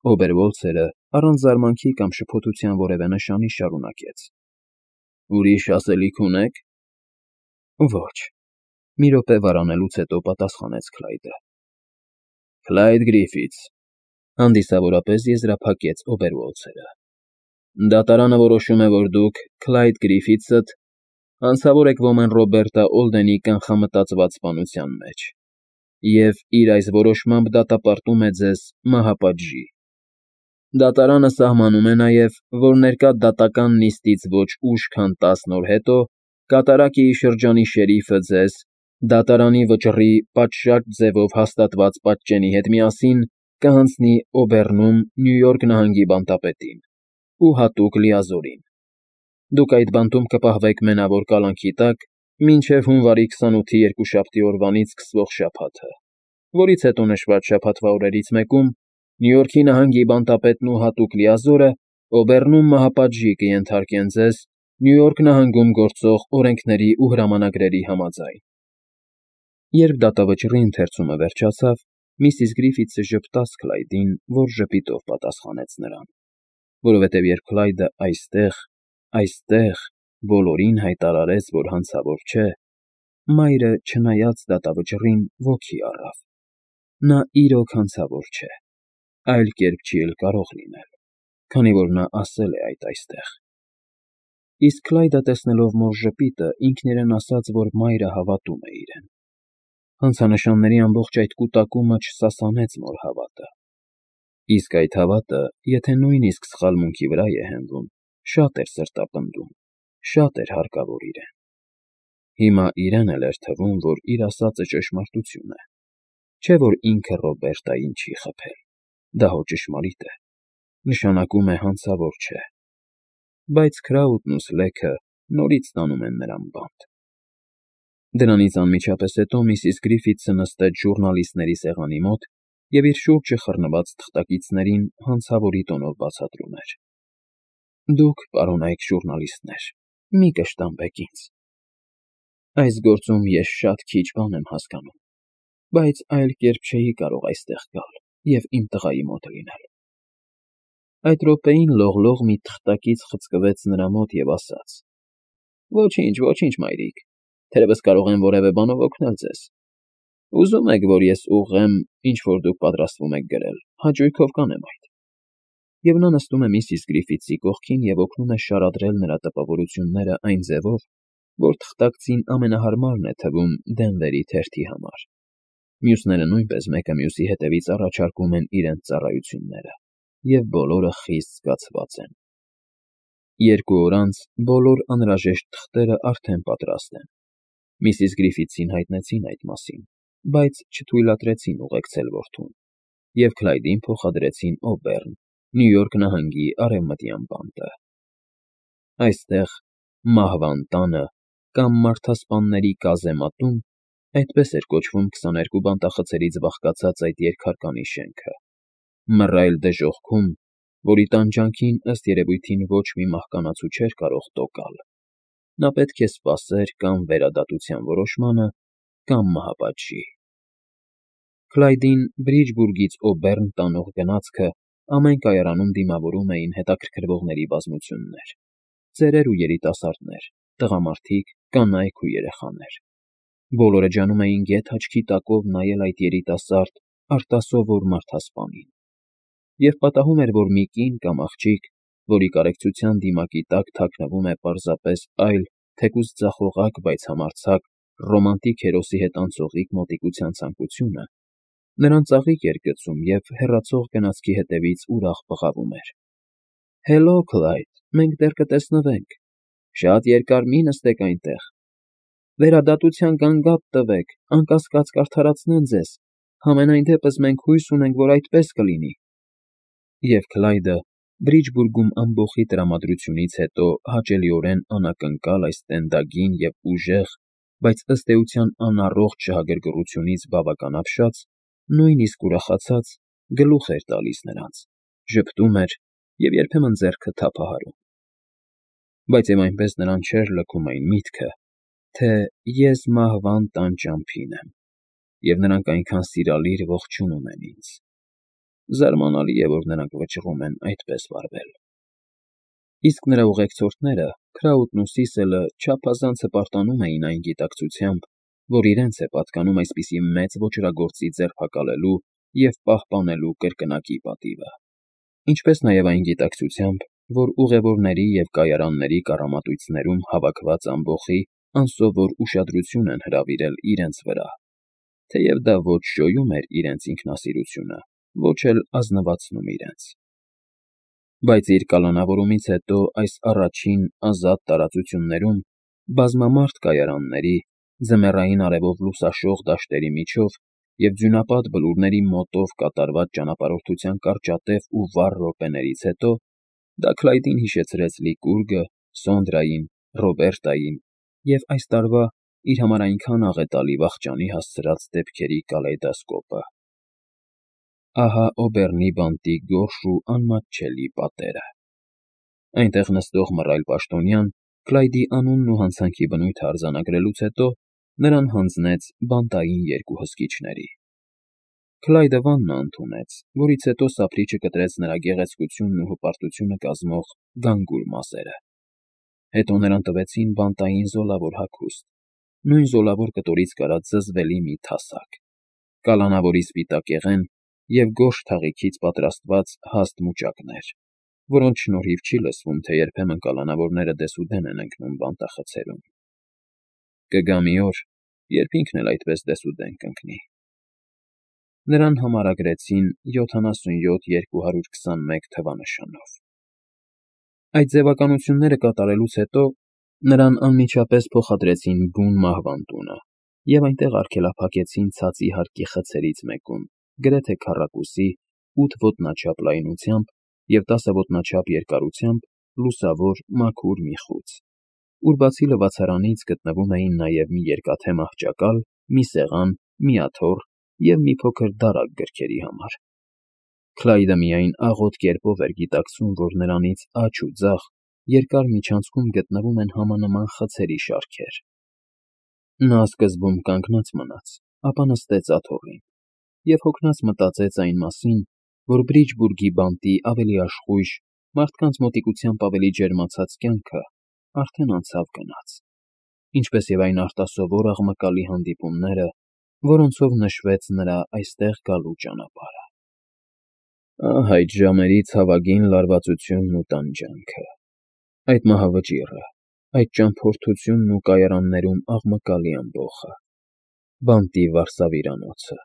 Օբերվոլցերը առանց զարմանքի կամ շփոթության որևէ նշանի շարունակեց. Ուրիշ ասելիք ունե՞ք։ Ոչ, մի րոպե վարանելուց հետո պատասխանեց Քլայդը։ Քլայդ Գրիֆիթս, հանդիսավորապես եզրափակեց Օբերվոլցերը։ Դատարանը որոշում է, որ դուք, Քլայդ Գրիֆիթսդ, հանցավոր եք ոմեն Ռոբերտա Օլդենի կանխամտածված սպանության մեջ, և իր այս որոշմամբ դատապարտում է ձեզ մահապատժի։ Դատարանը սահմանում է նաև, որ ներկա դատական նիստից ոչ ուշ, քան 10 օր հետո Կատարակիի շրջանի շերիֆը ձեզ, դատարանի վճռի պատշաճ ձևով հաստատված պատճենի հետ միասին կհանձնի Օբեռնում Նյու Յորք նահանգի բանտապետին ու հատուկ լիազորին։ Դուք այդ բանտում կպահվեք մենավոր կալանքի տակ մինչև հունվարի 28-ի երկուշաբթի օրվանից սկսվող շաբաթը, որից հետո նշված շաբաթվա օրերից մեկում Նյու Յորքի նահանգի բանտապետն ու հատուկ լիազորը Օբեռնում մահապատժի կենթարկեն ձեզ Նյու Յորք նահանգում գործող օրենքների ու հրամանագրերի համաձայն։ Երբ դատավճռի ընթերցումը վերջացավ, Միսիս Գրիֆիթսը ժպտաց Քլայդին, որ ժպիտով պատասխանեց նրան, որովհետև երբ Քլայդը այստեղ բոլորին հայտարարեց, որ հանցավոր չէ, մայրը, չնայած դատավճռին, ոգի առավ. նա իրոք հանցավոր չէ, այլ կերպ չի էլ կարող լինել, քանի որ նա ասել է այդ այստեղ։ Իսկ Քլայդը, տեսնելով մոր ժպիտը, ինքն իրեն ասաց, որ մայրը հավատում է իրեն։ Հանցանշանների ամբողջ այդ կուտակումը չսասանեց մոր հավատը։ Իսկ այդ հավատը, եթե նույնիսկ սխալմունքի վրա է հենվում, շատ էր սրտապնդում, շատ էր հարկավոր իրեն։ Հիմա իրեն էլ էր թվում, որ իր ասածը ճշմարտություն է, չէ՞ որ ինքը Ռոբերտային չի խփել, դա հո ճշմարիտ է, նշանակում է հանցավոր չէ։ Բայց Քրաուտն ու Սլեքը նորից տանում են նրան բանտ։ Դրանից անմիջապես հետո Միսիս Գրիֆիթսը նստեց ժուռնալիստների սեղանի մոտ և իր շուրջը խռնված թղթակիցներին հանցավորի տոնով բացատրում էր. Դուք, պարոնայք ժուռնալիստներ, մի կշտամբեք ինձ։ Այս գործում ես շատ քիչ բան եմ հասկանում, բայց այլ կերպ չէի կարող այստեղ գալ և իմ տղայի մոտ լինել։ Այդ րոպեին լողլող մի թղթակից խցկվեց նրա մոտ և ասաց. Ոչինչ, ոչինչ, մայրիկ, թերևս կարող եմ որևէ բանով օգնել ձեզ։ Ուզում եք, որ ես ուղղեմ, ինչ որ դուք պատրաստվում եք գրել, հաճույքով կանեմ այդ։ Եվ նա նստում է Միսիս Գրիֆիթսի կողքին և օգնում է շարադրել նրա տպավորությունները այն ձևով, որ թղթակցին ամենահարմարն է թվում Դենվերի թերթի համար։ Մյուսները նույնպես մեկը մյուսի հետևից առաջարկում են իրենց ծառայությունները, և բոլորը խիստ զգացված են։ 2 օր անց բոլոր անհրաժեշտ թղթերը արդեն պատրաստ են։ Միսիս Գրիֆիթսին հայտնեցին այդ մասին, բայց չթույլատրեցին ուղեկցել որդուն, և Քլայդին փոխադրեցին Օբեռն, Նյու Յորք նահանգի արևմտյան բանտը։ Այստեղ Մահվան տանը կամ Մարդասպանների կազեմատում, այդպես էր կոչվում 22 բանտախցերից բաղկացած այդ երկհարկանի շենքը, մռայլ դժոխքում, որի տանջանքին ըստ երևույթին ոչ մի մահկանացու չէր կարող տոկալ, նա պետք է սպասեր կամ վերադատության որոշմանը, կամ մահապատժի։ Քլայդին Բրիջբուրգից Օբեռն տանող գնացքը ամեն կայարանում դիմավորում էին հետաքրքրվողների բազմություններ, ծերեր ու երիտասարդներ, տղամարդիկ, կանայք ու երեխաներ։ Բոլորը ջանում էին գեթ աչքի տակով նայել այդ երիտասարդ, արտասովոր մարդասպանին։ Եվ պատահում էր, որ մի կին կամ աղջիկ, որի կարեկցության դիմակի տակ թաքնվում է պարզապես այլ, թեկուզ ձախողակ, բայց համարձակ, ռոմանտիկ հերոսի հետ անցողիկ մոտիկության ցանկությունը, նրան ծաղիկ էր գցում և հեռացող գնացքի հետևից ուրախ բղավում էր. Հելո, Քլայդ, մենք դեռ կտեսնվենք, շատ երկար մի նստեք այնտեղ, վերադատության գանգատ տվեք, անկասկած կարդարացնեն ձեզ, համենայն դեպս մենք հույս ունենք, որ այդպես կլինի։ Եվ Քլայդը Բրիջբուրգում ամբոխի տրամադրությունից հետո հաճելիորեն անակնկալ այս տենդագին և ուժեղ, բայց ըստ էության անառողջ շահագրգռությունից բավական ապշած, նույնիսկ ուրախացած, գլուխ էր տալիս նրանց, ժպտում էր և երբեմն ձեռքը թափահարում։ Բայց և այնպես նրան չէր լքում այն միտքը, թե ես Մահվան տան ճամփին եմ, և նրանք այնքան սիրալիր ողջունում են ինձ։ Զարմանալի է, որ նրանք վճռում են այդպես վարվել։ Իսկ նրա ուղեկցորդները, Քրաուտն ու Սիսելը, չափազանց հպարտանում էին այն գիտակցությամբ, որ իրենց է պատկանում այսպիսի մեծ ոճրագործի ձերբակալելու և պահպանելու կրկնակի պատիվը, ինչպես նաև այն գիտակցությամբ, որ ուղևորների և կայարանների կառամատույցներում հավաքված ամբոխի անսովոր ուշադրություն են հրավիրել իրենց վրա, թեև դա ոչ շոյում էր իրենց ինքնասիրությունը, ոչ էլ ազնվացնում իրենց։ Բայց իր կալանավորումից հետո այս առաջին ազատ տարածություններում բազմամարդ կայարանների, ձմեռային արևով լուսաշող դաշտերի միջով և ձյունապատ բլուրների մոտով կատարված ճանապարհորդության կարճատև ու վառ րոպեներից հետո դա Քլայդին հիշեցրեց Լիկուրգը, Սոնդրային, Ռոբերտային և այս տարվա իր համար այնքան աղետալի վախճանի հասցրած դեպքերի կալեյդոսկոպը։ Ահա Օբեռնի բանտի գորշ ու անմատչելի պատերը։ Այնտեղ նստող մռայլ պաշտոնյան, Քլայդի անունն ու հանցանքի բնույթը արձանագրելուց հետո նրան հանձնեց բանտային երկու հսկիչների։ Քլայդը վաննը ընդունեց, որից հետո սափրիչը կտրեց նրա գեղեցկությունն ու հպարտությունը կազմող գանգուր մազերը։ Հետո նրան տվեցին բանտային զոլավոր հագուստ, նույն զոլավոր կտորից կարած զզվելի մի թասակ, կալանավորի սպիտակեղեն և գորշ թաղիքից պատրաստված հաստ մուճակներ, որոնց շնորհիվ չի լսվում, թե երբեմն կալանավորները դեսուդեն են ընկնում բանտախցերում։ Կգա մի օր, երբ ինքն էլ այդպես դեսուդեն կընկնի։ Նրան համարագրեցին 77221 թվանշանով։ Այդ ձևականությունները կատարելուց հետո նրան անմիջապես փոխադրեցին բուն մահվան տունը և այնտեղ արգելափակեցին ցածի հարկի խցերից մեկում, գրեթե քառակուսի, 8 ոտնաչափ լայնությամբ և 10 ոտնաչափ երկարությամբ լուսավոր մաքուր մի խուց, ուր բացի լվացարանից գտնվում էին նաև մի երկաթե մահճակալ, մի սեղան, մի աթոռ և մի փոքր դարակ գրքերի համար։ Քլայդը միայն աղոտ կերպով էր գիտակցում, որ նրանից աջ ու ձախ երկար միջանցքում գտնվում են համանման խցերի շարքեր։ Նա սկզբում կանգնած մնաց, ապա նստեց աթոռին և հոգնած մտածեց այն մասին, որ Բրիջբուրգի բանտի ավելի աշխույժ, մարդկանց մոտիկությամբ ավելի ջերմացած կյանքը արդեն անցավ գնաց, ինչպես և այն արտասովոր աղմկալի հանդիպումները, որոնցով նշվեց նրա այստեղ գալու ճանապարհը։ Ահ, այդ ժամերի ցավագին լարվածությունն ու տանջանքը, այդ մահավճիռը, այդ ճամփորդությունն ու կայարաններում աղմկալի ամբոխը, բանտի վարսավիրանոցը,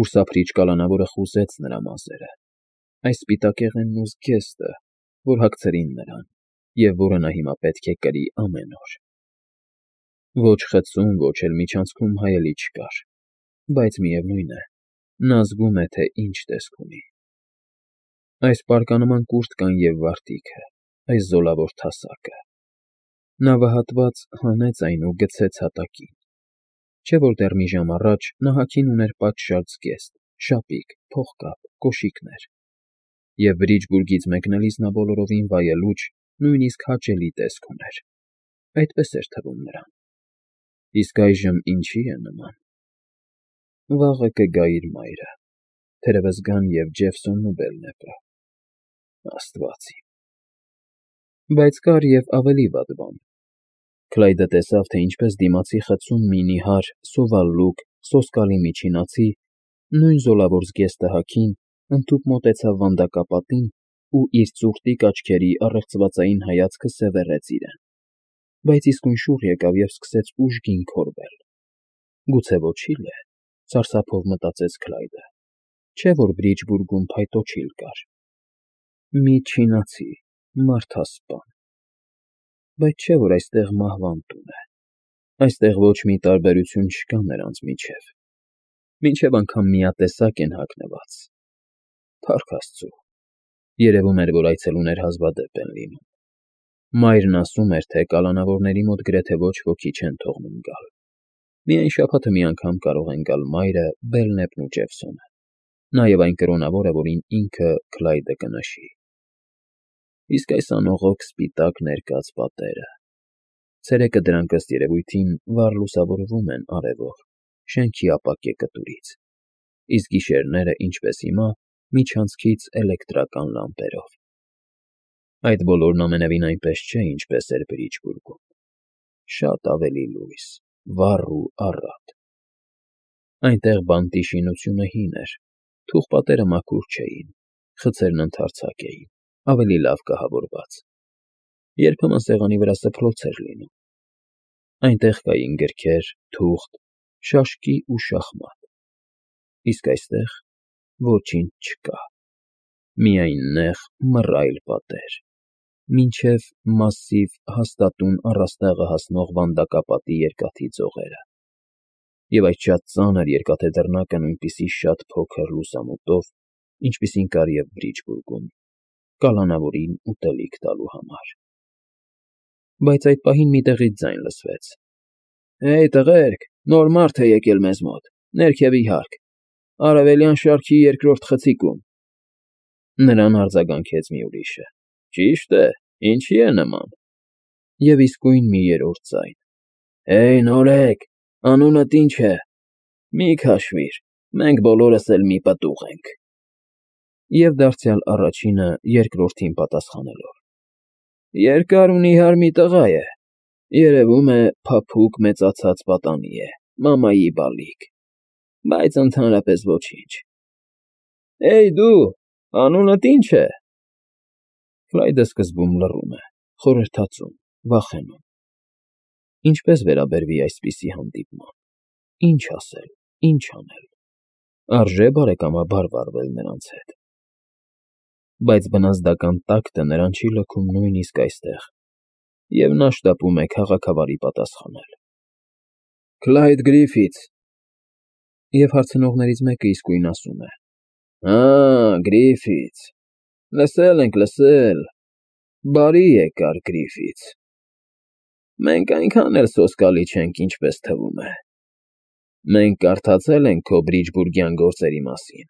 ուր սափրիչ կալանավորը խուզեց նրա մազերը, այս սպիտակեղենն ու զգեստը, որ հագցրին նրան և որը նա հիմա պետք է կրի ամեն օր։ Ոչ խցում, ոչ էլ միջանցքում հայելի չկար, բայց միևնույն է, նա զգում է, թե ինչ տեսք ունի։ Այս պարկանման կուրծքան և վարտիքը, այս զոլավոր թասակը։ Նա վհատված հանեց այն ու գցեց հատակին, չէ՞ որ դեռ մի ժամ առաջ նա հագին ուներ պատշաճ զգեստ, շապիկ, փողկապ, կոշիկներ, և Բրիջբուրգից մեկնելիս նա բոլորովին վայելուչ, նույնիսկ հաճելի տեսք ուներ, այդպես էր թվում նրան։ Իսկ այժմ ինչի է նման։ Վաղը կգա իր մայրը, թերևս գան և Ջեֆսոնն ու Բելնեպը։ Աստված իմ։ Բայց կար և ավելի վատ բան։ Քլայդը տեսավ, թե ինչպես դիմացի խցում մի նիհար, սովալլուկ, սոսկալի միջինացի, նույն զոլավոր զգեստը հագին, ընդհուպ մոտեցավ վանդակապատին ու իր ծուռտիկ աչքերի առեղծվածային հայացքը սևեռեց իրեն, բայց իսկույն շուռ եկավ և սկսեց ուժգին քորվել։ Գուցե ոչի՞լ է, սարսափով մտածեց Քլայդը, չէ՞ որ Բրիջբուրգում փայտոջիլ կար։ Մի չինացի, մարդասպան։ Բայց չէ՞ որ այստեղ մահվան տուն է։ Այստեղ ոչ մի տարբերություն չկա նրանց միջև, մինչև անգամ միատեսակ են հագնված։ Փառք Աստծո, երևում էր, որ այցելուներ հազվադեպ են լինում։ Մայրն ասում էր, թե կալանավորների մոտ գրեթե ոչ ոքի չեն թողնում գալ։ Միայն շաբաթը մի անգամ կարող են գալ մայրը, Բելնեպն ու Ջեֆսոնը, նաև այն կրոնավորը, որին ինքը Քլայդը կնշի։ Իսկ այս անողոք սպիտակ ներկած պատերը։ Ցերեկը դրանք ըստ երևույթին վառ լուսավորվում են արևով, շենքի ապակե կտուրից, իսկ գիշերները, ինչպես հիմա, միջանցքից էլեկտրական լամպերով։ Այդ բոլորն ամենևին այնպես չէ, ինչպես էր Բրիջբուրգում։ Շատ ավելի լույս, վառ ու առատ։ Այնտեղ բանտի շինությունը հին էր, թուղպատերը մաքուր չէին, խցերն ընդարձակ էին, ավելի լավ կահավորված։ Երբեմն սեղանի վրա սփռոց էր լինում։ Այնտեղ կային գրքեր, թուղթ, շաշկի ու շախմատ։ Իսկ այստեղ ոչինչ չկա։ Միայն նեղ մռայլ պատեր, մինչև մասսիվ հաստատուն առաստաղը հասնող վանդակապատի երկաթի ձողերը։ Եվ այդ շատ ծանր երկաթե դռնակը նույնպիսի շատ փոքր լուսամուտով, ինչպիսին կար և Բրիջբուրգում, կալանավորին ուտելիք տալու համար։ Բայց այդ պահին մի տեղից ձայն լսվեց. «Հեյ, տղերք, նոր մարդ է եկել մեզ մոտ, ներքևի հարկ, արևելյան շարքի երկրորդ խցիկում»։ Նրան արձագանքեց մի ուրիշը. «Ճիշտ է, ինչի է նման»։ Եվ իսկույն մի երրորդ ձայն. «Հեյ, նորեկ, անունդ ինչ է։ Մի քաշվիր, մենք բոլորս էլ մի պտուղ ենք»։ Եվ դարձյալ առաջինը երկրորդին պատասխանելով. «Երկար ու նիհար մի տղա է, երևում է փափուկ մեծացած պատանի է, մամայի բալիկ, բայց ընդհանրապես ոչինչ։ Հեյ դու, անունդ ինչ է»։ Ֆլայդը սկզբում լռում է, խորհրդածում, վախենում։ Ինչպես վերաբերվի այսպիսի հանդիպման, ինչ ասել, ինչ անել, արժե՞ բարեկամաբար վարվել նրանց հետ։ Բայց բնազդական տակտը նրան չի լքում նույնիսկ այստեղ, և նա շտապում է քաղաքավարի պատասխանել. «Քլայդ Գրիֆիթս»։ Եվ հարցնողներից մեկը իսկույն ասում է. «Հա, Գրիֆիթս, լսել ենք, լսել, բարի եկար, Գրիֆիթս։ Մենք այնքան էլ սոսկալի չենք, ինչպես թվում է։ Մենք կարդացել ենք քո բրիջբուրգյան գործերի մասին,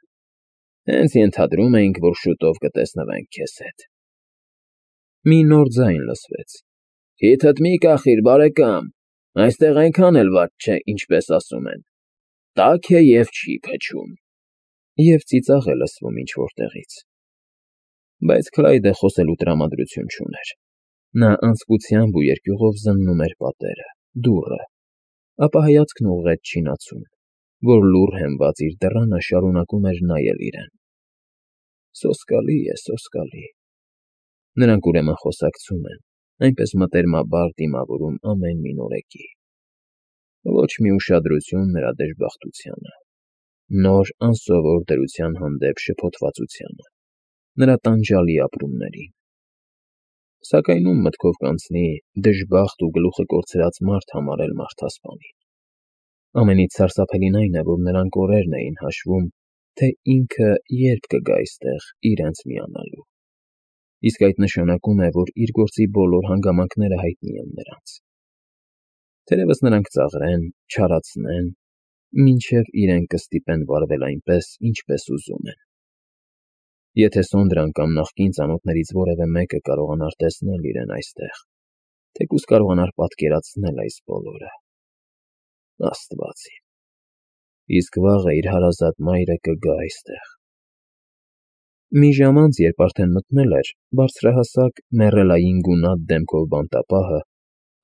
հենց ենթադրում էինք, որ շուտով կտեսնվենք քեզ հետ»։ Մի նոր ձայն լսվեց. «Քիթդ մի կախիր, բարեկամ, այստեղ այնքան էլ վատ չէ, ինչպես ասում են, տաք է և չի փչում»։ Եվ ծիծաղ է լսվում ինչ֊որ տեղից։ Բայց Քլայդը խոսելու տրամադրություն չուներ։ Նա անձկությամբ ու երկյուղով զննում էր պատերը, դուռը, ապա հայացքն ուղղեց չինացուն, որ լուռ հենված իր դռանը շարունակում էր նայել իրեն։ Սոսկալի է, սոսկալի։ Նրանք ուրեմն խոսակցում են, այնպես մտերմաբար դիմավորում ամեն մի նորեկի։ Ոչ մի ուշադրություն նրա դժբախտությանը, նոր անսովոր դրության հանդեպ շփոթվածությանը, նրա տանջալի ապրումներին։ Սակայն ում մտքով կանցնի դժբախտ ու գլուխը կորցրած մարդ համարել մարդասպանին։ Ամենից սարսափելին այն է, որ նրանք օրերն էին հաշվում, թե ինքը երբ կգա այստեղ իրենց միանալու։ Իսկ այդ նշանակում է, որ իր գործի բոլոր հանգամանքները հայտնի են նրանց։ Թերևս նրանք ծաղրեն, չարացնեն, մինչև իրենք կստիպեն վարվել այնպես, ինչպես ուզում են։ Եթե Սոնդրան կամ նախկին ծանոթներից որևէ մեկը կարողանար տեսնել իրեն այստեղ, թեկուզ կարողանար պատկերացնել այս բոլորը։ Աստված իմ։ Իսկ վաղը իր հարազատ մայրը կգա այստեղ։ Մի ժամ անց, երբ արդեն մթնել էր, բարձրահասակ, մեռելային գունատ դեմքով բանտապահը,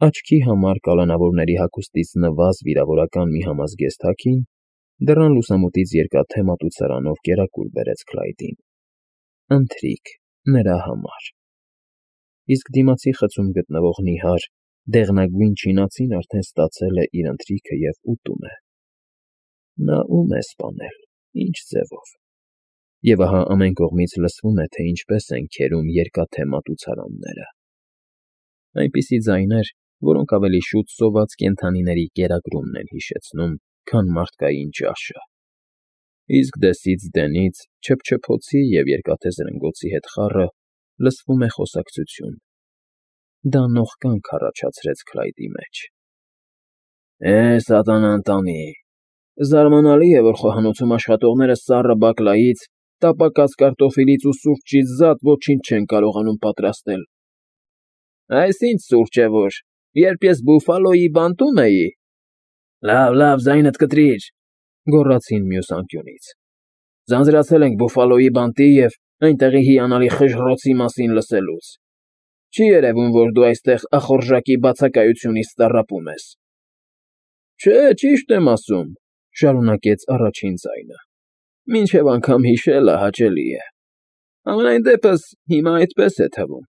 աչքի համար կալանավորների հագուստից նվազ վիրավորական մի համազգեստ հագին, դռան լուսամուտից երկաթե մատուցարանով կերակուր բերեց Քլայդին։ Ընթրիք նրա համար։ Իսկ դիմացի խցում գտնվող նիհար, դեղնագույն չինացին արդեն ստացել է իր ընթրիքը և ուտում է։ Նա ո՞ւմ է սպանել, ինչ ձևով։ Եվ ահա ամեն կողմից լսվում է, թե ինչպես են քերում երկաթե մատուցարանները։ Այնպիսի ձայներ, որոնք ավելի շուտ սոված կենդանիների կերակրումն են հիշեցնում, քան մարդկային ճաշը։ Իսկ դեսից դենից, չփչփոցի և երկաթե զրնգոցի հետ խառը, լսվում է խոսակցություն։ Դա նողկանք առաջացրեց Քլայդի մեջ։ Սատանան տանի։ Զարմանալի է, որ խոհանոցում աշխատողները սառը բակլայից, տապակած կարտոֆիլից ու սուրճից զատ ոչինչ չեն կարողանում պատրաստել։ Այս ինչ սուրճ է, որ, երբ ես Բուֆալոյի բանտում էի։ Լավ, լավ, ձայնդ կտրիր, գոռացին մյուս անկյունից։ Ձանձրացել ենք Բուֆալոյի բանտի և այնտեղի հիանալի խժռոցի մասին լսելուց։ Չի երևում, որ դու այստեղ ախորժակի բացակայությունից տառապում ես։ Չէ, ճիշտ եմ ասում, շարունակեց առաջին ձայնը։ Մինչև անգամ հիշելը հաճելի է։ Համենայն դեպս հիմա այդպես է թվում։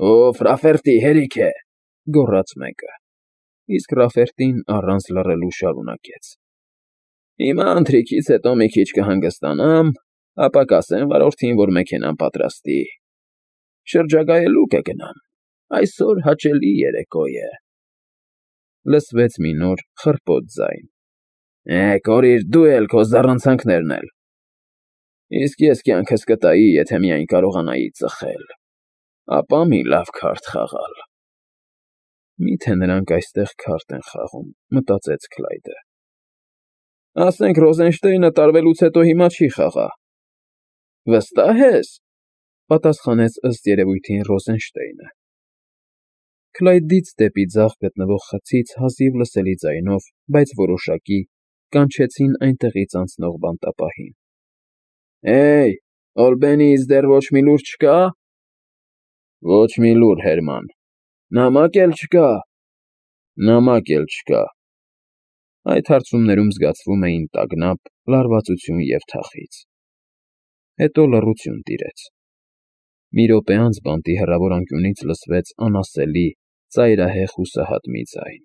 Օ, Ֆրաֆերտի հերիք է, գոռաց մեկը, իսկ Ռաֆերտին առանց լռելու շարունակեց. Հիմա ընթրիքից հետո մի քիչ կհանգստանամ, ապա կասեմ վարորդին, որ մեքենան պատրաստի։ Շրջագայելու կգնամ, այսօր հաճելի երեկո է։ Լսվեց մի նոր խռպոտ ձայն. Կորիր դու էլ քո զառանցանքներն էլ։ Իսկ ես կյանքս կտայի, եթե միայն կարողանայի ծխել, ապա մի լավ քարտ խաղալ։ Միթե նրանք այստեղ քարտ են խաղում, մտածեց Քլայդը։ Ասենք Ռոզենշտեյնը տարվելուց հետո հիմա չի խաղա։ Վստահ ես, պատասխանեց ըստ երևույթին Ռոզենշտեյնը։ Քլայդից դեպի ձախ գտնվող խցից հազիվ լսելի ձայնով, բայց որոշակի, կանչեցին այնտեղից անցնող բանտապահին։ Օլբենիից դեռ ոչ մի լուր չկա։ Ոչ մի լուր, Հերման։ Նամակ էլ չկա։ Նամակ էլ չկա։ Այդ հարցումներում զգացվում էին տագնապ, լարվածություն և թախիծ։ Հետո լռություն տիրեց։ Մի րոպե անց բանտի հեռավոր անկյունից լսվեց անասելի, ծայրահեղ հուսահատ մի ձայն,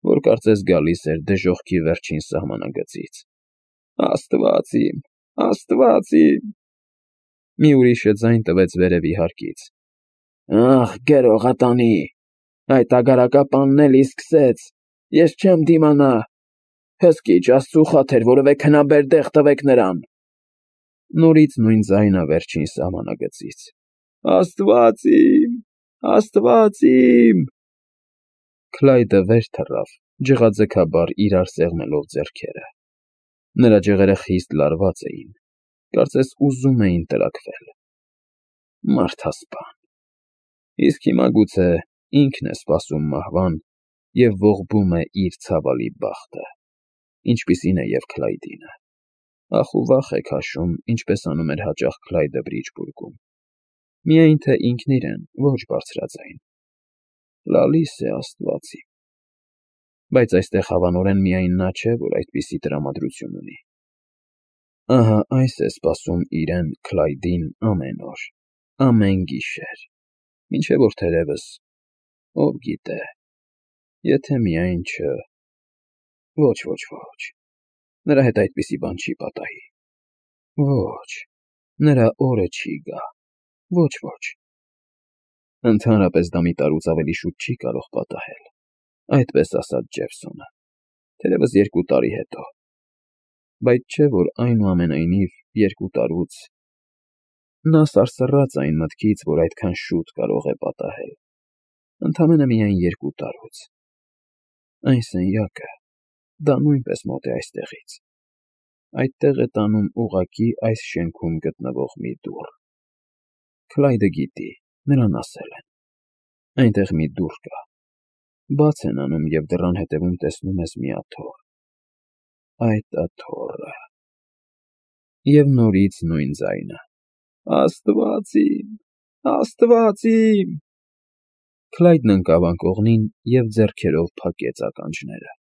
որ կարծես գալիս էր դժոխքի վերջին սահմանագծից։ Աստված իմ, Աստված իմ… Մի ուրիշը ձայն տվեց վերևի հարկից. Ախ, գերողատանի, այդ ագարակապանն էլի սկսեց, ես չեմ դիմանա, հսկիչ Աստծու խաթր, որևէ քնաբեր տեղ տվեք նրան։ Նորից նույն ձայնը վերջին սահմանագծից. Աստված իմ, Աստված իմ… Քլայդը վեր թռավ, ջղաձգաբար իրար սեղմելով ձեռքերը։ Նրա ջղերը խիստ լարված էին, կարծես ուզում էին տրաքվել։ Մարդասպան… Իսկ հիմա գուցե ինքն է սպասում մահվան և ողբում է իր ցավալի բախտը, ինչպիսին է և Քլայդինը։ Ախ ու վախ է քաշում, ինչպես անում էր հաճախ Քլայդը Բրիջբուրգում։ Միայն թե ինքն իրեն, ոչ բարձրաձայն։ Լալիս է Աստված իմ… Բայց այստեղ հավանորեն միայն նա չէ, որ այդպիսի տրամադրություն ունի։ Ահա այս է սպասում իրեն Քլայդին ամեն օր, ամեն գիշեր, մինչև որ թերևս, ով գիտե, եթե միայն չ… Ոչ, նրա հետ այդպիսի բան չի պատահի։ Ոչ, նրա օրը չի գա, ոչ… Ընդհանրապես դա մի տարուց ավելի շուտ չի կարող պատահել, այդպես ասաց Ջեֆսոնը, թերևս 2 տարի հետո, բայց չէ՞ որ այնուամենայնիվ 2 տարուց… Նա սարսռաց այն մտքից, որ այդքան շուտ կարող է պատահել, ընդամենը միայն 2 տարուց… Այն սենյակը, դա նույնպես մոտ է այստեղից, այդտեղ է տանում ուղղակի այս շենքում գտնվող մի դուռ… Քլայդը գիտի, նրան ասել են… Այնտեղ մի դուռ կա, բաց են անում և դռան հետևում տեսնում ես մի աթոռ… Այդ աթոռը… Եվ նորից նույն ձայնը. Աստված իմ… Աստված իմ… Քլայդն ընկավ անկողնին և ձեռքերով փակեց ականջները։